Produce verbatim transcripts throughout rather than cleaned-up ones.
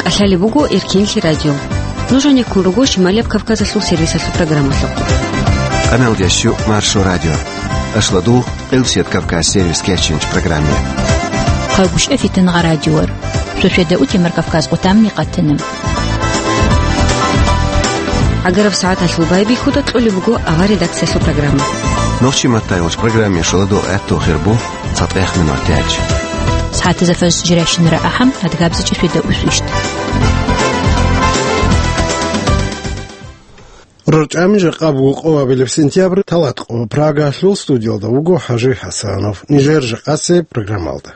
Лъалеб буго Эркенлъи радио. Нуж гьанеккун руго Шималияб Кавказалъул сервисалъул программалъухъ. Къаналдящу Маршо радио. Ашладу Къилсият Кавказ сервис кечинч программе. Хъагушев Фитнагъа радиор. Шошеда утемар Кавказ къутамни къатанам. Агараб сагӀаталъул байбихьуда кьолеб буго авар редакциялъул программа. Нохчи маттайгъуч программе шоладу гӀатту хирбу. ЦатӀех минут тяч. Сагьатизафаз жирашинра ахӀам, адгабзичӀи феда усвищт. РорчӀами жакъа буго къо абилеб сентябрь, талат къо. Прагалъул студиялда вуго ХӀажи ХӀасанов. Нижер жакъасе программалда.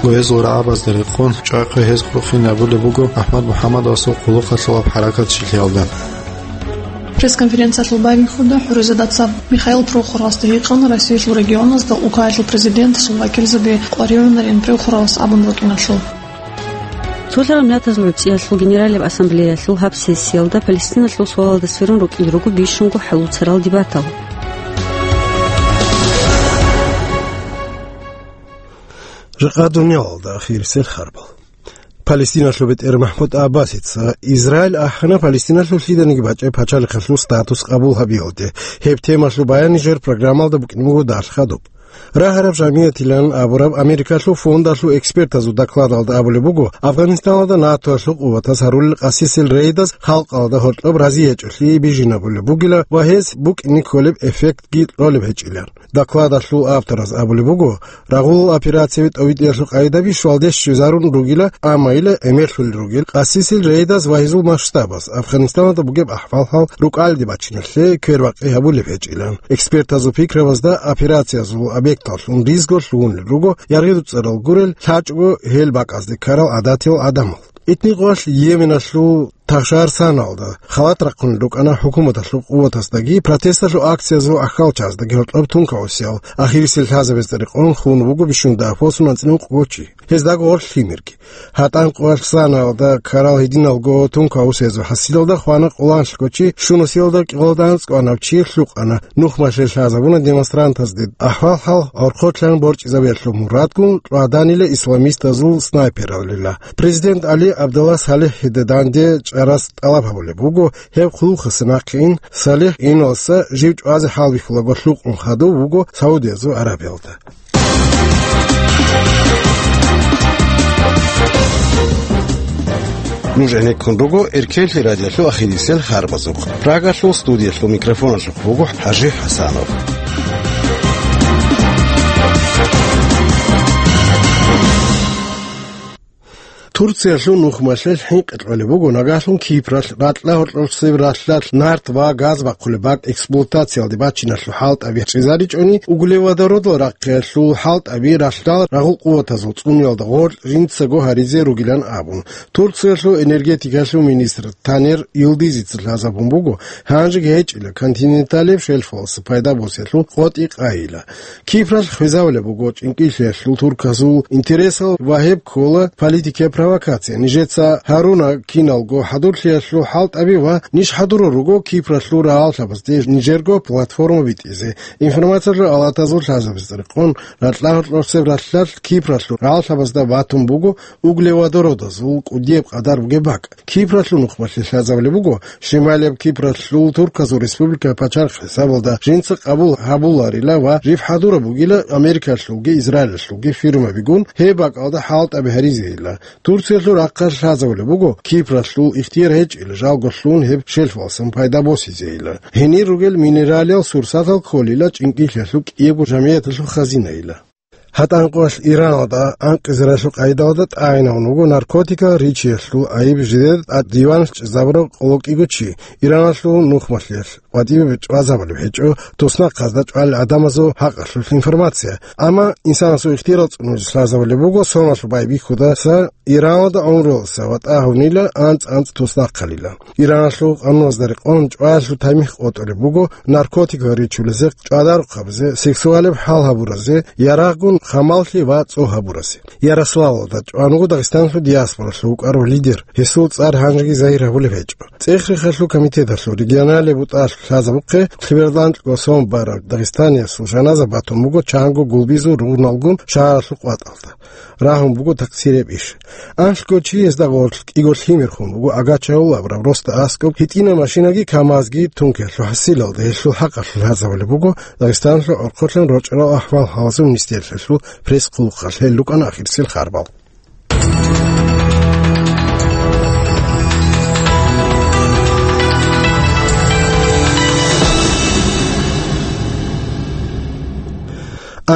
Гьезул рагӀабазда рекъон, чӀахъи гьез хурхинабулеб буго АхӀмад МухӀаммадовасул хъулухъалъулаб хӀаракат чилъиялда. Пресс-конференциялъул байбихьуда ХӀуризадацаб Михаил Прохоровасда гьикъана Россиялъул регионазда Украиналъул президентасул вакилзаби къваригӀунарин Прохоровас абун рукӀиналъул. Цолъараб Нятазул гӀуцӀиялъул Генералияб Ассамблеялъул гьаб сессиялда Палестиналъул суалалда сверун рукӀине руго бищунго хӀалуцарал дебатал. Жакъа дуниялалда ахирисел харбал. Палестиналъул бетӀер МахӀмуд Аббасица Израиль ахӀана Палестиналъул лъиданиги бачӀеб пачалихъалъул статус къабул гьабиялде. Гьеб темалъул баян нижер программалда букӀине буго дарх хадуб. Рагьараб жамиятилан абураб Америкалъул фондалъул экспертазул докладалда абулеб буго, Афганистаналда НАТОялъул къуватаз гьарулел къасисел рейдаз халкъалда гьоркьоб разиячӀолъи бижинабулеб бугила ва гьез букӀине кколеб эффектги кьолеб гьечӀилан. Докладалъул автораз абулеб буго, рагъулал операцияби тӀовитӀиялъул къайдаби щвалде щвезарун ругила, амма ила гӀемерлъулел ругел къасисел рейдаз ва гьезул масштабаз, Афганистаналда бугеб ахӀвал-хӀал рукӀалде бачиналъе квербакъи гьабулеб гьечӀилан. Экспертазул пикрабазда операциязул объекталлъун ризго лъугьунел руго яргъи-дуцӀарал гурел, лъачӀого гьел бакӀазде ккарал гӀадатиял гӀадамал. Итни къоялъ Йеменалъул Тахшар саналда халат рахъун рукӀана хӀукуматалъул къуватаздаги протесталъул акциязул ахӀалчаздаги гьоркьоб тункаусиял. Ахирисел лъазабазда рекъон хун буго бищунда посун анцӀила ункъго чи. Гьездаго гъорлъ лъимерги. ГьатӀан къоялъ саналда ккарал гьединалго тункаусиязул хӀасилалда хвана къоланлъго чи, щунусиялда кӀикъоялда анцӀго анав чи лъукъана. Нухмалъе лъазабуна демонстрантазде ахӀвал-хӀал гӀорхъолъан борчӀизабиялъул мурадгун, кьваданила исламистазул снайпералила. Президент Али Абдалла СалихӀида данде чӀарас тӀалаб гьабулеб буго, гьеб хъулухъаса нахъе ин, СалихӀ иналса жив чӀвазе хӀалбихьулаго лъукъун хадув вуго Саудиязул Арабиялда. Нуж гӀенеккун руго Эркенлъи радиолъул ахирисел харбазухъ. Прагалъул студиялъул микрофоналъухъ буго ХӀажи ХӀасанов. Турциялъул нухмалъе хӀинкъи кьолеб буго, нагагьлъун Кипралъ ракьа гьоркьоцеб ралъдалъ нарт ва газ бахъулеб бакӀ эксплуатациялде бачиналъул хӀалтӀаби чӀезаричӀони, углеводородал рахъиялъул хӀалтӀаби ралъдал рагъул къуватазул цӀуниялда гъоркь жинцаго гьаризе ругилан абун, Турциялъул энергетикалъул министр Танер Йилдизица лъазабун буго, гьанжеги гьечӀила континенталияб шельфалъ пайда босиялъул къотӀи къайила. Кипралъ хвезавулеб буго чӀинкӀиллъиялъул турказул интересал ва гьеб ккола политикияб провокация. Нижеца гьаруна киналго хӀадурлъиялъул хӀалтӀаби ва ниж хӀадурал руго Кипралъул рагӀаллъабазде нижерго платформа битӀизе. Информациялъул алатазул лъазабазда рекъон, ракьа гьоркьоцеб ралъдалъ Кипралъул рагӀаллъабазда батун буго углеводородазул кӀудияб къадар бугеб бакӀ. Кипралъул нухмалъе лъазабулеб буго, Шималияб Кипралъул турказул республика пачалихъ хӀисабалда жинца къабул гьабуларила ва жив хӀадураб бугила Америкалъулги Израилалъулги фирмабигун гьеб бакӀалда хӀалтӀаби гьаризейила. Турциялъул рахъалъ лъазабулеб буго, Кипралъул ихтияр гьечӀила жалго лъун гьеб шельфалъсан пайда босизейила. Гьенир ругел минералиял сурсатал кколила чӀинкӀиллъиялъул кӀиябго жамияталъул хазинайила. ГьатӀанкъоялъ Ираналда анкьизаралъул къайдалда тӀагӀинавун вуго наркотикал ричиялъул айиб жидеда тӀад диван чӀезабурав къоло кӀиго чи. Иранлъул нухмалъиялъ къватӀибе чӀвазабулеб гьечӀо, туснахъазда чӀвалел гӀадамазул хӀакъалъулъ информация. Амма инсанасул ихтияр цӀунузе лъазабулеб буго соналъул байбихьудаса Иранлда гӀумруялдаса ватӀа гьавнила, анцӀ-анцӀ туснахъалила. Иранлъул къануналда рекъон чӀваялъул тамихӀ къотӀулеб буго наркотикал ричулезе, чӀвадарухъабазе, сексуалеб хӀал гьабуразе, ярагъгун хамаллъи ва цӀу гьабуразе. Ярославлда чӀван вуго Дагъистаналъул диаспоралъул вукӀарав лидер, гьесул цӀар гьанжеги загьир гьабулеб гьечӀо. ЦӀех-рехалъул комитеталъул регионалияб бутӀалъ лъазабухъе, лъебералда анкьго сон бараб дагъистаниясул жаназа батун буго чанго гулбизул ругъналгун шагьаралъул къватӀалда. Рагьун буго такъсирияб иш. Анлъго чиясда гъорлъ кӀиго лъимер хун буго Агачагьул абураб росда аскӀоб, гьитӀинаб машинаги КамАЗги тункиялъул хӀасилалда гьелъул хӀакъалъулъ лъазабулеб буго Дагъистаналъул гӀорхъолъан рочӀарал ахӀвал-хӀалалъул министрлъиялъул пресс-хъулухъалъ. Гьел рукӀана ахирисел харбал.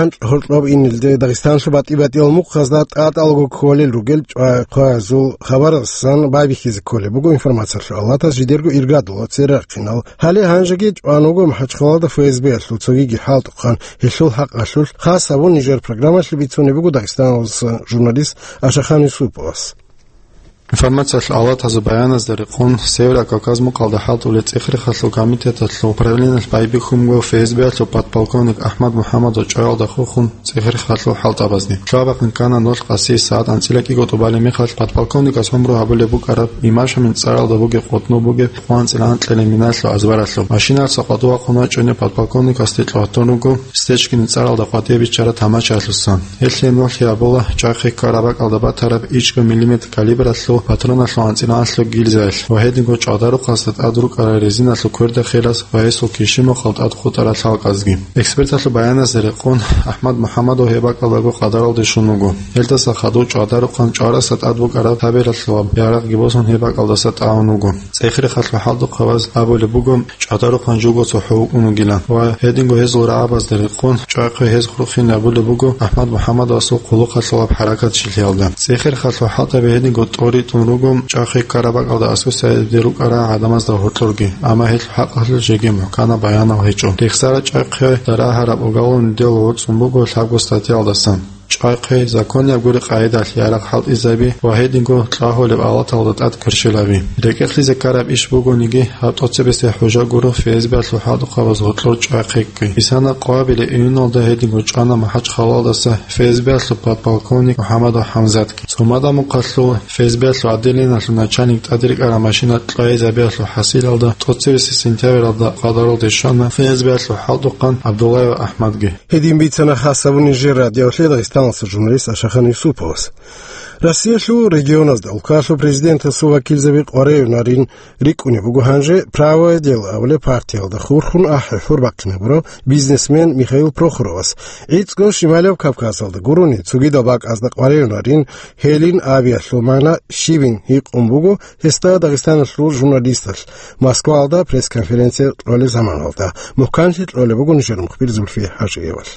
АнцӀ гьоркьоб инелде Дагъистаналъул батӀи-батӀиял мухъазда тӀатӀалаго кколел ругел чӀвахъвазул хабаралдасан байбихьизе кколеб буго информациялъул алатас жидерго иргадулал церехъинал. Гьале гьанжеги чӀван вуго МахӀачхъалада ФСБ-ялъул цогиги хӀалтӀухъан, гьелъул хӀакъалъулъ хас гьабун нижер программалъе бицунеб буго Дагъистаналдаса журналист Ашахан Юсуповас. Информациялъул алатазул баяназда рекъон, Северо-Кавказ мукъалда хӀалтӀулел цӀех-рехалъул комитеталъул управлениялъ байбихьун буго ФСБ-ялъул подполковник АхӀмад МухӀаммадов чӀваялда хурхун цӀех-рехалъул хӀалтӀабазни. Лъугьа-бахъин ккана ноль къаси сагӀат анцӀила кӀиго тӀубалеб мехалъ подполковникас гӀумру гьабулеб букӀараб Имашамин цӀаралда бугеб къотӀноб бугеб къо анцӀила анкьилеб миналъул азбаралъуб. Машиналъа къватӀив вахъун вачӀунеб подполковникасде кьватун руго Стечкинин цӀаралда къватӀибе биччараб тамашаялъусан. Гьелъие нугӀлъи гьабула чӀвахъе ккараб бакӀалда батараб ичӀго миллиметр калибралъул патроналъул анцӀила анлъго гильзаялъ ва гьединго чӀвадарухъасда тӀад рукӀарал резиналъул кверда херас ва гьесул кишимухъал тӀад хутӀарал лъалкӀазги. Эксперталъул баяназда рекъон, АхӀмад МухӀаммадов гьеб бакӀалдаго къадаралде щун вуго. Гьелдаса хадув чӀвадарухъан чӀварасда тӀад букӀараб табералъулаб ярагъги босун гьеб бакӀалдаса тӀагӀун вуго. ЦӀех-рехалъул хӀалтӀухъабаз абулеб буго, чӀвадарухъан жуго цохӀо вукӀун вугилан ва гьединго гьезул рагӀабазда рекъон, чӀвахъе гьез хурхин абулеб буго АхӀмад МухӀаммадовасул хъулухъалъулаб хӀаракат чилъиялда. ЦӀех-рехалъул хӀалтӀаби гьединго тӀоритӀун руго чӀвахъе ккараб бакӀалда аскӀосизе рукӀарал гӀадамазда гьоркьорги, амма гьелъул хӀакъалъулъ жеги мухӀканаб баянал гьечӀо. Рехсараб чӀвахъе дарагьараб уголовный дело воцӀцӀун буго лъабго статьялдасан. ЧӀвахъе, законияб гури къагӀидалъ ярагъ хӀалтӀизаби ва гьединго кьагьулеб алаталда тӀад кверщелаби. РекӀелъизе ккараб иш бугониги, гьаб тӀоцебесеб хӀужа гуро ФСБ-ялъул хӀалтӀухъабаз гьоркьор чӀвахъе ккей. Бисана къоабилеб июньалда гьединго чӀвана МахӀачхъалалдаса ФСБ-ялъул подполковник МухӀаммадов ХӀамзатги. Цумада мухъалъул ФСБ-ялъул отделениялъул начальник тӀаде рекӀараб машина кьвагьизабиялъул хӀасилалда тӀоцебесеб сентябралда къадаралде щвана ФСБ-ялъул хӀалтӀухъан ГӀабдуллаев АхӀмадги. Гьедин бицана хас гьабун нижер радиолъе Дагъистаналъул журналист Ашахан Юсуповас. Россиялъул регионазда улкалъул президентасул вакилзаби къваригӀунарин рикӀкӀунеб буго гьанже «Правое дело» абулеб партиялда хурхун ахӀи-хӀур бахъинабурав бизнесмен Михаил Прохоровас. ГӀицӀго Шималияб Кавказалда гурони цогидал бакӀазда къваригӀунарин гьелин абиялъул магӀна щибин гьикъун буго гьесда Дагъистаналъул журналисталъ Москваялда пресс-конференция кьолеб заманалда. МухӀканлъи кьолеб буго нижер мухбир Зульфия ХӀажиевалъ.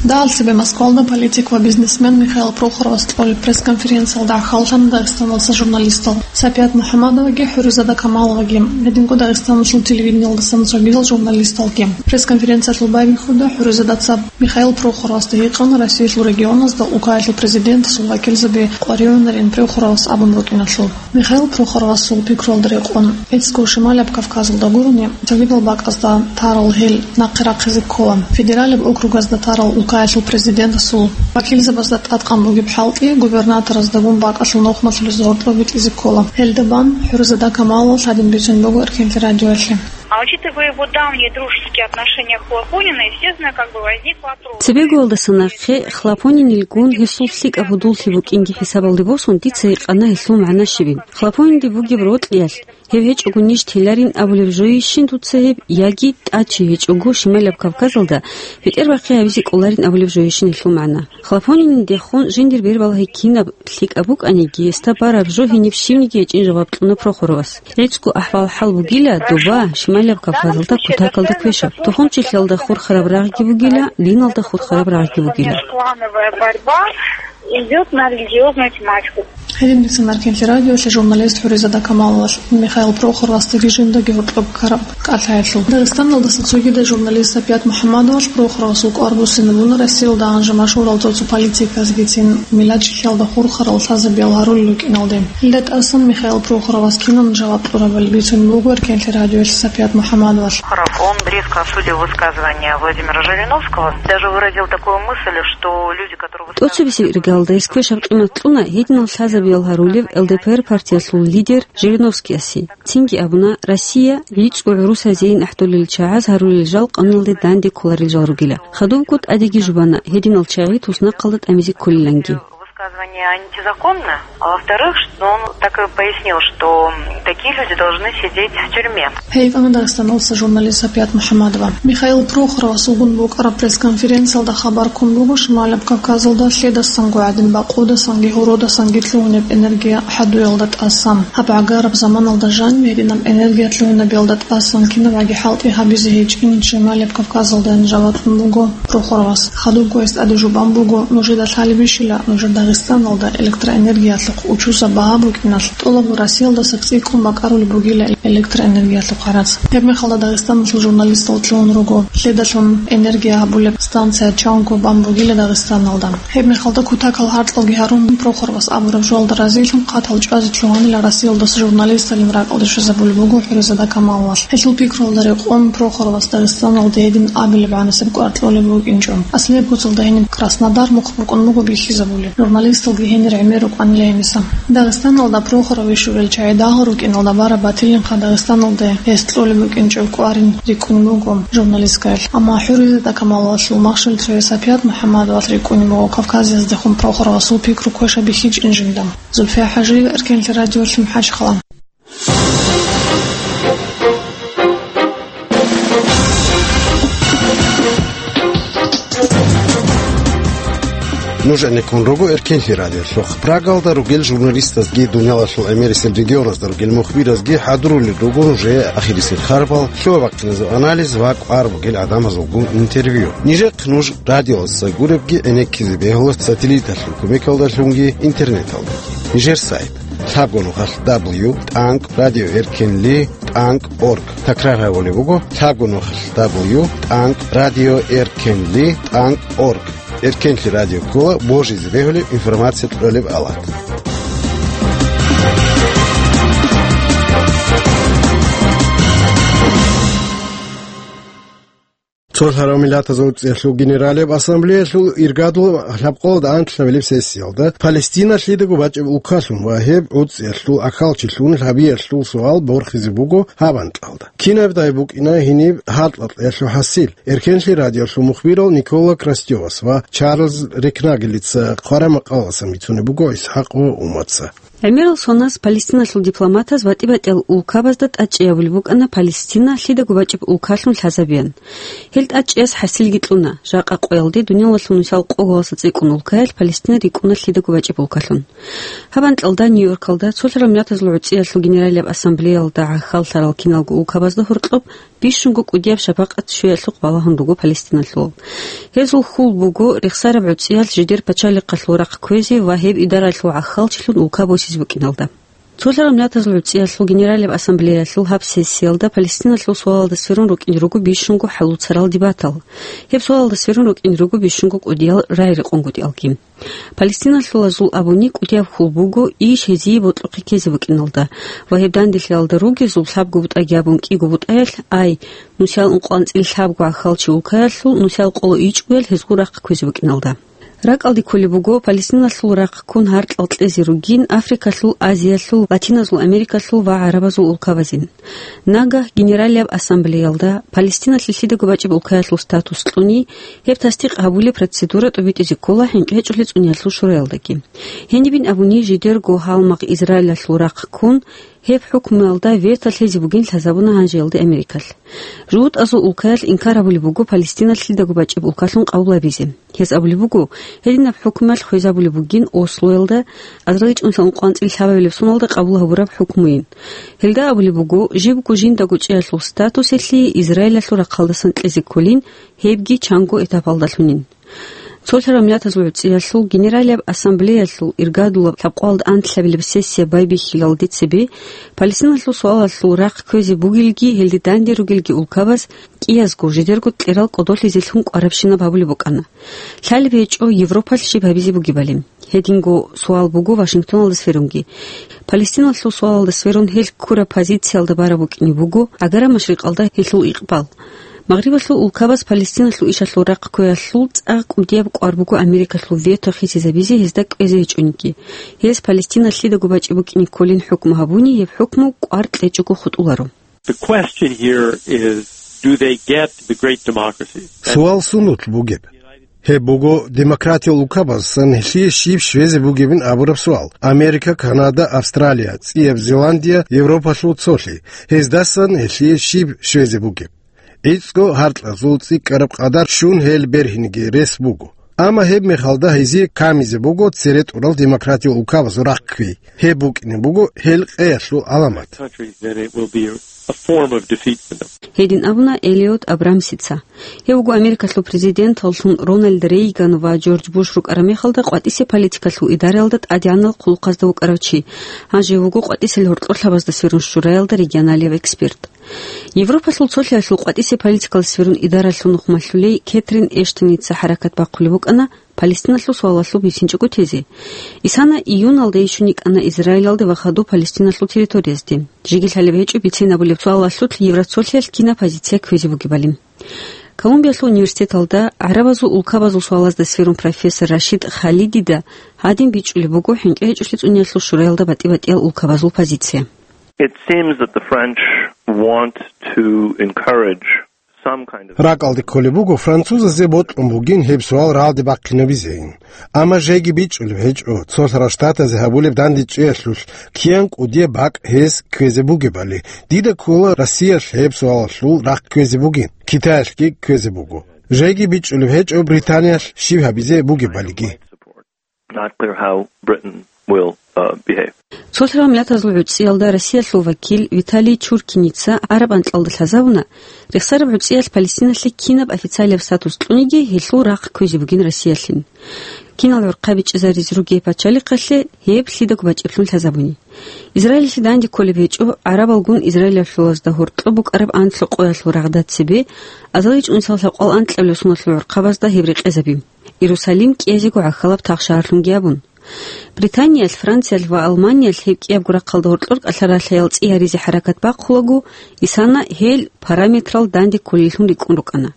Дагьал цебе Москвалда политик ва бизнесмен Михаил Прохоровас кьолеб пресс-конференциялда гӀахьаллъана Дагъистаналдаса журналистал Сапият МухӀаммадоваги ХӀуризада Камаловаги, гьединго Дагъистаналъул телевидениялдасан цогидал журналисталги. Пресс-конференциялъул байбихьуда ХӀуризадаца Михаил Прохоровасда гьикъана Россиялъул регионазда улкаялъул президентасул вакилзаби къваригӀунарин Прохоровас абун рукӀиналъул. Михаил Прохоровасул пикруялда рекъон, гӀицӀго Шималияб Кавказалда гурони, цогидал бакӀазда тарал гьел нахъе рахъизе ккола. Федералияб округазда тарал улкаялъул президентасул вакилзабазда тӀадкъан бугеб хӀалтӀи губернатораздагун бакӀалъул нухмалъулез гьоркьоб битӀизе ккола. Гьелда бан ХӀуризада Камаловас гьадин бицун буго Эркенлъи радиоялъе. А учитывая его давние дружеские отношения к Хлопонину, естественно, как бы возник вопрос. Цебегоялдаса нахъе Хлопонинилгун гьесул лъикӀаб гьудуллъи букӀинги хӀисабалде босун, дица гьикъана гьелъул магӀна щибин. Хлопонинде бугеб рокьиялъ, гьев гьечӀого ниж теларин абулеб жойищин дуца гьеб, яги тӀад чи гьечӀого Шималияб Кавказалда бетӀербахъи гьабизе кӀоларин абулеб жойищин гьелъул магӀна. Хлопонинидехун жиндир бербалагьи кинаб лъикӀаб букӀаниги, гьесда бараб жо гьениб щибниги гьечӀин жаваб кьуна Прохоровас. ГӀицӀго ахӀвал-хӀал бугила доба Шималияб Кавказалда кутакалда квешаб. Тухумчилъиялда хурхараб рагъги бугила, диналда хурхараб рагъги бугила. Клановая борьба идёт на религиозную тематику. Гьедин бицана Эркенлъи радиоялъе журналист ХӀуризада Камаловас Михаил Прохоровасдаги жиндаги гьоркьоб ккараб кӀалъаялъул. Дагъистаналдаса цогидаб журналист Сапият МухӀаммадовалъ Прохоровасул кӀвар буссинабуна Россиялда гьанже машгьурал цо-цо политикасгицин миллатчилъиялда хурхарал лъазабиял гьарулел рукӀиналде. Гьелда тӀасан Михаил Прохоровас кинан жаваб кьурабали бицун буго Эркенлъи радиоялъ Сапият МухӀаммадовалъ. Прохоров, он резко осудил высказывания Владимира Жириновского, даже выразил такую мысль, что люди, которые высказывают... ТӀоцебесеб иргаялда гьес квешаб къимат кьуна гьединал лъазабиял гьарулев Л Д П Р партиялъул лидер Жириновскиясе. Цинги абуна, Россия гӀицӀго гӀурусазейин ахӀдолел чагӀаз гьарулел жал къануналде данде кколарел жал ругила. Хадубго тӀадеги жубана, гьединал чагӀи туснахъалда тӀамизе кколиланги. Высказывание антизаконно, а во-вторых, что он так и пояснил, что такие люди должны сидеть в тюрьме. Гьей вана Дагъистаналдаса журналист Сапият МухӀаммадова. Михаил Прохоровас вугун букӀараб пресс-конференциялда хабар ккун буго Шималаб Кавказалда лъедасанго гӀадин бакъудасанги гьородасанги лъугьунеб энергия хӀадуялда тӀасан. Гьаб гӀагараб заманалда жаниб гьединаб энергия лъугьинабиялда тӀасан кинабгӀаги хӀалтӀи гьабизе гьечӀин Шималаб Кавказалдайин жаваб кьун буго Прохоровас. Хадубго гьес тӀаде жубан буго, нужеда лъалебищила нужер Дагъистаналда электроэнергиялъухъ учузаб багьа букӀиналъ, тӀолабго Россиялдаса цӀикӀкӀун бакӀарулеб бугила электроэнергиялъухъ гӀарац. Гьеб мехалда Дагъистаналъул журналистал лъугьун руго, лъедалъун энергия гьабулеб станция чанго бан бугила Дагъистаналда. Гьеб мехалда кутакал гьарцӀалги гьарун, Прохоровас абураб жоялда разилъун хъатал чӀвазе лъугьанила Россиялдаса журналисталин ракӀалде щвезабулеб буго ХӀуризада Камаловалъ. Гьелъул пикруялда рекъон Прохоровас Дагъистаналда гьедин абилеб гӀанасеб кӀвар кьолеб букӀинчӀо. Аслияб куцалда гьениб Краснодар мухъ букӀун буго бихьизабулеб. Журналисталги гьенир гӀемер рукӀанила гьениса. Дагъистаналда Прохоров щурел чагӀи дагьал рукӀиналда бараб батилинха Дагъистаналда гьес кьолеб букӀинчӀеб кӀварин рикӀкӀунеб буго журналисткаялъ. Амма ХӀуризада Камаловалъул махщел цояв Сапият МухӀаммадовалъ рикӀкӀунеб буго Кавказаздехун Прохоровасул пикру квешабихьичӀин жинда. Зульфия ХӀажиева, Эркенлъи радиолъи, МахӀачхъала. Нуж гӀенеккун руго Эркенлъи радиолъухъ. Прагалда ругел журналистазги, дуниялалъул гӀемерисел регионазда ругел мухбиразги хӀадурулел руго нужее ахирисел харбал, лъугьа-бахъиназул анализ ва кӀвар бугел гӀадамазулгун интервью. Нижехъ нуж радиоялдаса гуребги гӀенеккизе бегьула сателлиталъул кумекалдалъунги интернеталдаги. Нижер сайт: лъабго нухалъ дабл ю тӀанкӀ радио эркенли тӀанкӀ орг. Такрар гьабулеб буго: лъабго нухалъ дабл ю тӀанкӀ радио эркенли тӀанкӀ орг. Эркенлъи радио ккола божизе бегьулеб информация кьолеб алат. Цолъарав Миллатазул ГӀуцӀиялъул Генералияб Ассамблеялъул иргадул лъабкъоялда анкьабилеб сессиялда Палестина лъидаго бачӀеб улкалъун ва гьеб гӀуцӀиялъул ахьалчилъун гьабиялъул суал борхизе буго гьаб анкьалда. Кинабдай букӀина гьениб гьаркьа-кьеялъул хӀасил? Эркенлъи радиолъул мухбирал Никола Крастевас ва Чарльз Рекнагелица хъвараб макъалаялдасан бицунеб буго ИсхӀакъ ва Умаца. ГӀемерал соназ Палестиналъул дипломатаз батӀи-батӀиял улкабазда тӀадчӀей гьабулеб букӀана Палестина лъидаго бачӀеб улкалъун лъазабеян. Гьел тӀадчӀеяс хӀасилги кьуна, жакъа къоялде дуниялалъул нусал къоялдаса цӀикӀкӀун улкаялъ Палестина рикӀкӀуна лъидаго бачӀеб улкалъун. Гьаб анкьалда Нью-Йоркалда Цолъарал Миллатазул ГӀуцӀиялъул Генералияб Ассамблеялда гӀахьаллъарал киналго улкабазда гьоркьоб бищунго кӀудияб шапакъат щвеялъухъ балагьун руго палестиналъул. Гьезул хьул буго рехсараб гӀуцӀиялъ жидер пачалихъалъул рахъ кквезе ва гьеб идаралъул гӀахьалчилъун улка босизе букӀиналда. Цолъарал Миллатазул ГӀуцӀиялъул Генералияб Ассамблеялъул гьаб сессиялда Палестиналъул суалалда сверун рукӀине руго бищунго хӀалуцарал дебатал. Гьеб суалалда сверун рукӀине руго бищунго кӀудиял рагӀи-рекъонгутӀиялги. Палестиналъулазул абуни кӀудияб хьул буго иш гьезие бокьухъе ккезе букӀиналда ва гьеб данделъиялда ругезул лъабго бутӀаги абун кӀиго бутӀаялъ, ай, нусиял ункъоялда анцӀила лъабго гӀахьалчи улкаялъул нусиял къоло ичӀгоял гьезул рахъ кквезе букӀиналда. РакӀалде кколеб буго Палестиналъул рахъ ккун гьаркьал кьезе ругин Африкалъул, Азиялъул, Латиназул Америкалъул ва гӀарабазул улкабазин. Нагагь Генералияб Ассамблеялда Палестиналъе лъидаго бачӀеб улкаялъул статус кьуни, гьеб тасдикъ гьабулеб процедура тӀобитӀизе ккола ХӀинкъичӀеб цӀунеялъул шураялдаги. Гьенибин абуни, жидерго гьалмагъ Израилалъул рахъ ккун, гьеб хӀукмуялда вето лъезе бугин лъазабуна гьанжеялде Америкалъ. ЖугьутӀазул улкаялъ инкар гьабулеб буго Палестина лъидаго бачӀеб улкалъун къабул гьабизе. Гьез абулеб буго, гьединаб хӀукмуялъ хвезабулеб бугин Ослоялда, азарилчӀунлъа ункъоялда анцӀила лъабабилеб соналда къабул гьабураб хӀукмуйин. Гьелда абулеб буго, жибго жиндаго чӀеялъул статусалъе Израилалъул рахъалдасан кьезе кколин, гьебги чанго этапалдалъунин. Цолъараб миллатазул гӀуцӀиялъул Генералияб ассамблеялъул иргадулаб лъабкъоялда анлъабилеб сессия байбихьилалде цебе, Палестиналъул суалалъул рахъ кквезе бугелги, гьелде данде ругелги улкабаз кӀиязго жидерго кьерал кӀодолъизелъун кӀварабщинаб гьабулеб букӀана. Лъалеб гьечӀо Европалъ щиб гьабизе бугебали. Гьединго суал буго Вашингтоналда сверунги. Палестиналъул суалалда сверун гьел ккураб позициялда бараб букӀине буго Агара-Машрикъалда гьелъул икъбал. Магърибалъул улкабаз Палестиналъул ишалъул рахъ кквеялъул цӀакъ кӀудияб кӀвар буго Америкалъул вето хисизабизе гьезда кӀвезе гьечӀониги. Гьез Палестина лъидаго бачӀи букӀине кколин хӀукму гьабуни, гьеб хӀукму кӀвар кьечӀого хутӀуларо. The question here is, do they get the great democracy? Суал сунулъ бугеб? Гьеб буго демократиял улкабазасан гьелъие щиб щвезе бугебин абураб суал. Америка, Канада, Австралия, ЦӀияб Зеландия, Европалъул цолъи. Гьездасан гьелъие щиб щвезе бугеб? ГӀицӀго гьаркьазул цӀикӀкӀараб къадар щун гьел бергьинеги рес буго. Амма гьеб мехалда гьезие камизе буго цере тӀурал демократиял улкабазул рахъ кквей. Гьеб букӀине буго гьел къеялъул гӀаламат. Countries, then it will be a form of defeat for them. Гьедин абуна Элиот Абрамсица. Гьев вуго Америкалъул президенталлъун Рональд Рейган ва Джордж Буш рукӀараб мехалда къватӀисеб политикалъул идараялда тӀадегӀанал хъулухъазда вукӀарав чи. Гьанже вуго къватӀисел гьоркьорлъабазда сверун шураялда регионалияб эксперт. Европалъул цолъиялъул къватӀисеб политикалъ сверун идаралъул нухмалъулей Кетрин Эштоница хӀаракат бахъулеб букӀана Палестиналъул суалалъул бицинчӀого тезе. Исана июналда ишун йикӀана Израилалде ва хадуб Палестиналъул территориязде. Жеги лъалеб гьечӀо бицинабулеб суалалъулъ Евроцолъиялъ кинаб позиция кквезе бугебали. Колумбиялъул университеталда гӀарабазул улкабазул суалазда сверун профессор Рашид Халидида гьадин бичӀчӀулеб буго ХӀинкъи гьечӀолъи цӀуниялъул шураялда батӀи-батӀиял улкабазул позиция. It seems that the French want to encourage some kind of. РакӀалде кколеб буго французазе бокьун бугин гьеб суал рагӀалде бахъинабизейин. Амма жеги бичӀчӀулеб гьечӀо, цолъарал штатазе гьабулеб дандечӀеялъулъ киян кӀудияб бакӀ гьез кквезе бугебали. Дида ккола Россиялъ гьеб суалалъул рахъ кквезе бугин, Китаялъги кквезе буго. Жеги бичӀчӀулеб гьечӀо Британиялъ щиб гьабизе бугебалиги. Not clear how Britain will, uh, behave. Цолъарал миллатазул гӀуцӀиялда Россиялъул вакил Виталий Чуркиница гӀараб анкьалда лъазабуна, рехсараб гӀуцӀиялъ Палестиналъе кинаб официалияб статус кьуниги, гьелъул рахъ кквезе бугин Россиялъин. Кинал гӀурхъаби чӀезаризе ругей пачалихъалъе гьеб лъидаго бачӀеблъун лъазабуни. Израилалъе данде кколеб гьечӀо гӀарабалгун израилалъулазда гьоркьоб букӀараб анлъго къоялъул рагъда цебе, азарилчӀунсал лъабкъоялда анкьабилеб соналъул гӀурхъабазда гьеб рекъезаби. Иерусалим кӀиязего гӀахьалаб тахшагьарлъунги абун. Британиялъ, Франциялъ ва Алманиялъ гьеб кӀиябго рахъалда гьоркьор кӀалъа-ралъаял цӀи гьаризе хӀаракат бахъулаго, исана гьел параметрал данде кколеллъун рикӀкӀун рукӀана.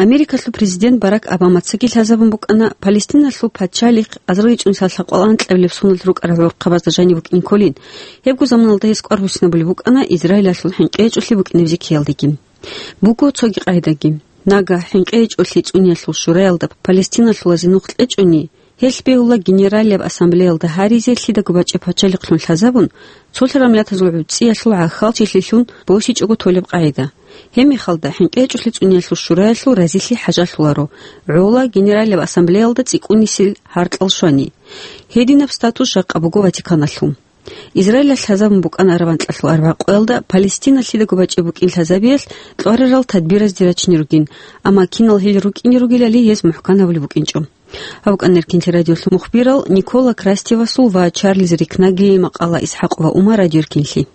Америкалъул президент Барак Обамацаги лъазабун букӀана Палестиналъул пачалихъ азарилчӀунсал лъабкъоялда анкьабилеб соналъ рукӀарал гӀурхъабазда жаниб букӀин кколин. Гьебго заманалда гьес кӀвар буссинабулеб букӀана Израилалъул ХӀинкъи гьечӀолъи букӀинеб зиккиялдеги. Буго цоги къагӀидаги. Нагагь ХӀинкъи гьечӀолъи цӀуниялъул шураялда Палестиналъулазе нух кьечӀони, гьелъ бегьула Генералияб ассамблеялда гьаризе лъидаго бачӀеб пачалихълъун лъазабун, цолъарал миллатазул гӀуцӀиялъул гӀахьалчилъилъун босичӀого толеб къагӀида. Гьеб мехалда ХӀинкъи гьечӀолъи цӀуниялъул шураялъул разилъи хӀажалъуларо, гӀола Генералияб ассамблеялда цӀикӀкӀунисел гьаркьал щвани. Гьединаб статус жакъа буго Ватиканалъул. Израилалъ лъазабун букӀана араб анкьалъул арбагъ къоялда Палестина лъидаго бачӀеб букӀин лъазабиялъ кьварарал тадбиразде рачине ругин, амма кинал гьел рукӀине ругелали гьез мухӀкан гьабулеб букӀинчӀо. Гьаб букӀана Эркинлъи радиолъул мухбирал Никола Крастевасул ва Чарльз Рикнагелил макъала. Исхьакъ ва Умар, Радио Эркинлъи.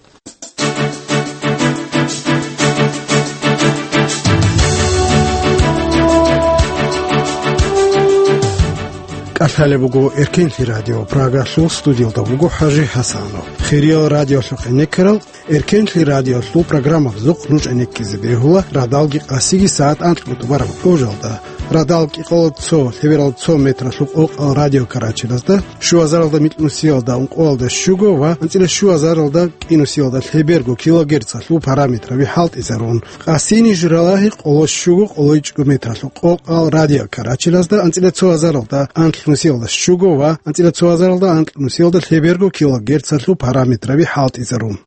КӀалъалеб буго Эркинлъи радио, Прагалъул студиялда буго ХӀажи ХӀасанов. Хириял радиолъухъ гӀенеккарал, Эркинлъи радиолъул программабазухъ нуж гӀенеккизе бегьула радалги къасиги сагӀат анкьго тӀубараб къужалда. Радал кӀикъоялда цо, лъебералда цо метралъул къокъал радиокарачелазда, щуазаралда микьнусиялда ункъоялда щуго ва анцӀила щуазаралда кӀинусиялда лъеберго килогерцалъул параметраби хӀалтӀизарун. Къасини журалагьи къоло щуго къолойчӀго метралъул къокъал радиокарачелазда анцӀила цоазаралда анкьнусиялда щуго ва анцӀила цоазаралда анкьнусиялда лъеберго килогерцалъул параметраби хӀалтӀизарун.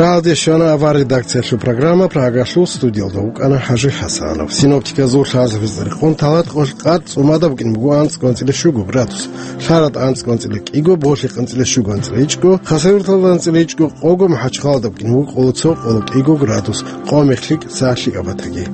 Рагьалде щвана авар редакциялъул программа, Прагалъул студиялда вукӀана ХӀажи ХӀасанов. Синоптиказул лъазабиз рекъон, Таладкъоялъ къад цӀумада букӀин буго анцӀ кӀанцӀила щуго градус, Лъарада анцӀ кӀанцӀила кӀиго, Болъи кӀанцӀила щуго анцӀила ичӀго, Хасавюрталда анцӀила ичӀго къого, МахӀачхъалада букӀин буго къоло цо къоло кӀиго градус, къо мехлъи кӀиго лъикӀаб батаги.